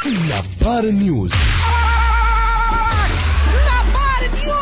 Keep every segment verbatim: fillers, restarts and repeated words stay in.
نبار نيوز. نبار نيوز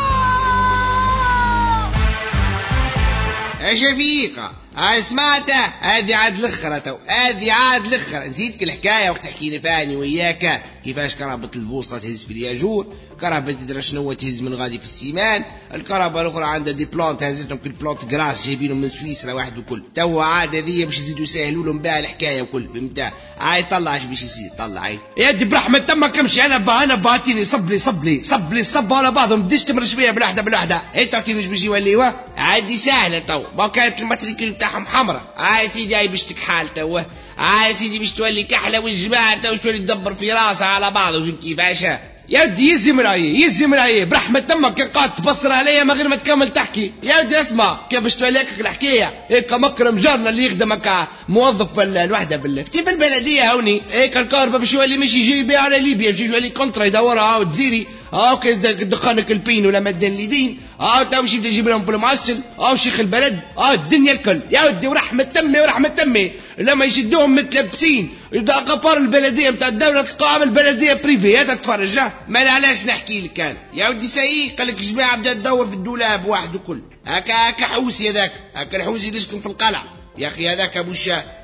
يا شفيقة. سمعت هذه عاد الاخرى تو، هذه عاد الاخرى. نزيدك الحكاية وقت تحكي لي فاني وياك كيفاش كرهبة البوسطه تهز في الياجور، كرهبة تدرى شنو تهز من غادي في ال ciment، الكرهبة الاخرى عندها des plantes هزتهم كل plantes grasses جايبينهم من سويسرا واحد وكل. تو عاد هذه باش يزيدوا يسهلوا لهم بها الحكاية وكل، فهمت؟ عاي طلع اش باش يصير، طلع عاي يا دي برحمة تمك امشي. انا با انا بعتيني صب لي صب لي صب لي صب على بعضهم، بديش تمر شوية بالوحدة بالوحدة، هي تعطيني اش باش يوليوا عادي سهلة تو. ما كانت ال matricule بتاعهم حمراء، هاي سيدي هاي باش تكحال تو، هاي سيدي باش تولي كحلة، والجماعة تو تولي تدبر في راسها على بعض. وفهمت كيفاش؟ يا ودي يزي من عيه يزي من عيه برحمة تمك قاعد تبصر عليا من غير ما تكمل تحكي. يا ودي اسمع كيف باش توليك الحكاية. هيك مكرم جارنا اللي يخدمك موظف في الوحدة بالله في البلدية هوني، هيك الكهرباء باش يولي مش يجي يبيع على ليبيا، باش يولي contrat يدورها وتزيري هاو دخانك البين ولا مدين اليدين، هاو تو باش يبدا يجيب لهم في المعسل، هاو شيخ البلد، هاو الدنيا الكل. يا ودي ورحمة تمي ورحمة تمي لما يشدوهم متلبسين يبدا قفار البلدية نتاع الدولة تلقاها من البلدية privé. هذا تفرج ما علاش نحكي لك انا يا ودي. سايق قال لك جماعة بدات تدور في الدولاب واحد وكل، هكا هكا حوسي هذاك، هكا الحوسي اللي يسكن في القلعة يا اخي. هذاك ابو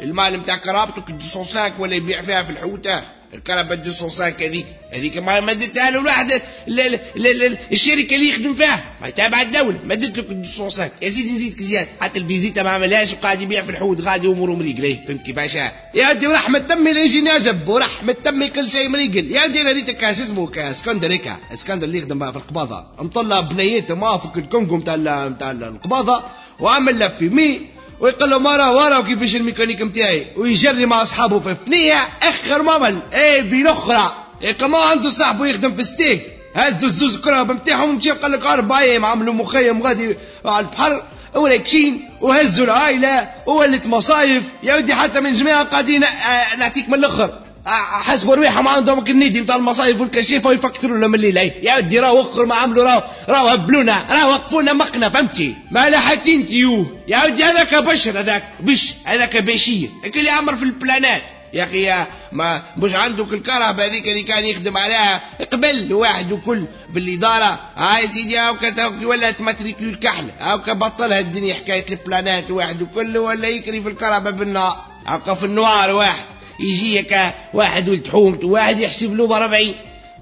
المال نتاع كرابته مئتين وخمسة ولا يبيع فيها في الحوته الكرهبة مئتين وخمسة هذيك هذيك ما مدتها له الواحد الشركة اللي يخدم فيها ما تابع الدولة مدت له مئتين وخمسة. يا سيدي نزيدك زيادة حتى الفيزيتا ما عملهاش وقاعد يبيع في الحوت غادي اموره مريقله. فهمت كيفاش؟ يا ودي ورحمة تمي اللي عجب ورحمة تمي كل شيء مريقل. يا ودي انا ريتك اسمه اسكندر هيك اسكندر اللي يخدم في القباضه مطلع بنيته ما فوق الكونغو نتاع نتاع القباضه وعمل له في مي ويقول له مرة ورا وكيفاش الميكانيك نتاعي ويجري مع اصحابه في ثنيه اخر ممل ايه في الاخرى. إيه كما عنده صاحبه يخدم في ستيك هزوا الزوز كرهبة نتاعهم ومشاو قال لك اربع ايام عملوا مخيم غادي على البحر وراكشين وهزوا العائلة وولت مصايف. يا ودي حتى من جماعة قاعدين آه نعطيك من الاخر حسبوا رواحهم عندهم النادي نتاع المصايف والكشيفه ويفكروا لهم الليل. يا ودي راهو وخر ما عملوا راهو راهو هبلونا راهو وقفونا مقنا فهمتي ما لا حتى انت يوه. يا ودي هذاك بشر هذاك بش هذاك بشير اللي عمر في البلانات يا اخي. ما مش عندك الكهرباء هذيك اللي كان يخدم عليها قبل واحد وكل في الادارة. هاي سيدي هاوكا ولات matricule كحل هاوكا بطلها الدنيا حكاية البلانات واحد وكل ولا يكري في الكهرباء بالنار هاوكا في ال noir واحد يجيك واحد ولد حومته واحد يحسب له بأربعين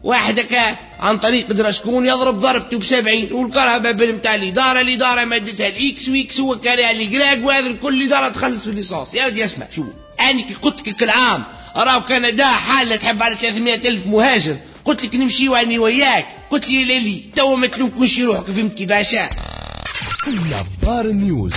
واحد هكا عن طريق درا شكون يضرب ضربته بسبعين والكهرباء نتاع الادارة الادارة مادتها ال X و X هو كاريها الكراك وهذا الكل الادارة تخلص في l'essence. يا ودي اسمع شو انا كي قلت لك العام راهو كندا حاله تحب على ثلاثمية ألف مهاجر قلت لك نمشيو اني وياك قلت لي ليلي تو ما تلومكوش روحك. فهمت كيفاش؟ نبار نيوز.